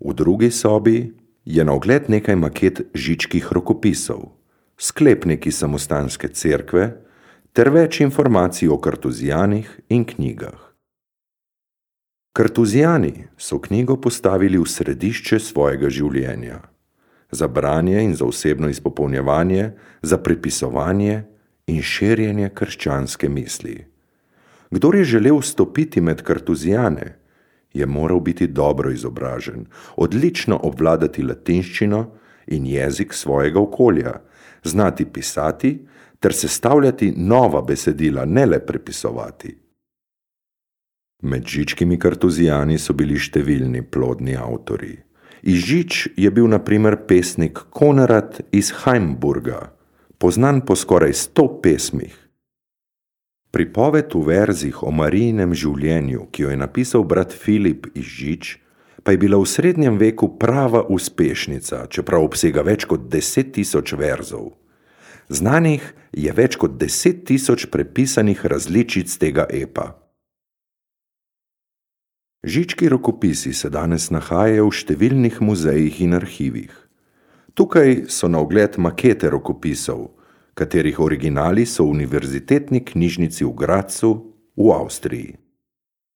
V drugi sobi je na ogled nekaj maket žičkih rokopisov, sklepniki samostanske cerkve ter več informacij o kartuzijanih in knjigah. Kartuzijani so knjigo postavili v središče svojega življenja, za branje in za osebno izpopolnjevanje, za prepisovanje in širjenje krščanske misli. Kdor je želel vstopiti med kartuzijane, je moral biti dobro izobražen, odlično obvladati latinščino in jezik svojega okolja, znati pisati ter sestavljati nova besedila, ne le prepisovati. Med žičkimi kartuzijani so bili številni plodni avtorji. Iz Žič je bil na primer pesnik Konrad iz Heimburga, poznan po skoraj 100 pesmih. Pripoved v verzih o Marijinem življenju, ki jo je napisal brat Filip iz Žič, pa je bila v srednjem veku prava uspešnica, čeprav obsega več kot 10.000 verzov. Znanih je več kot 10.000 prepisanih različic tega epa. Žički rokopisi se danes nahajajo v številnih muzejih in arhivih. Tukaj so na ogled makete rokopisov, katerih originali so v Univerzitetni knjižnici v Gradcu v Avstriji.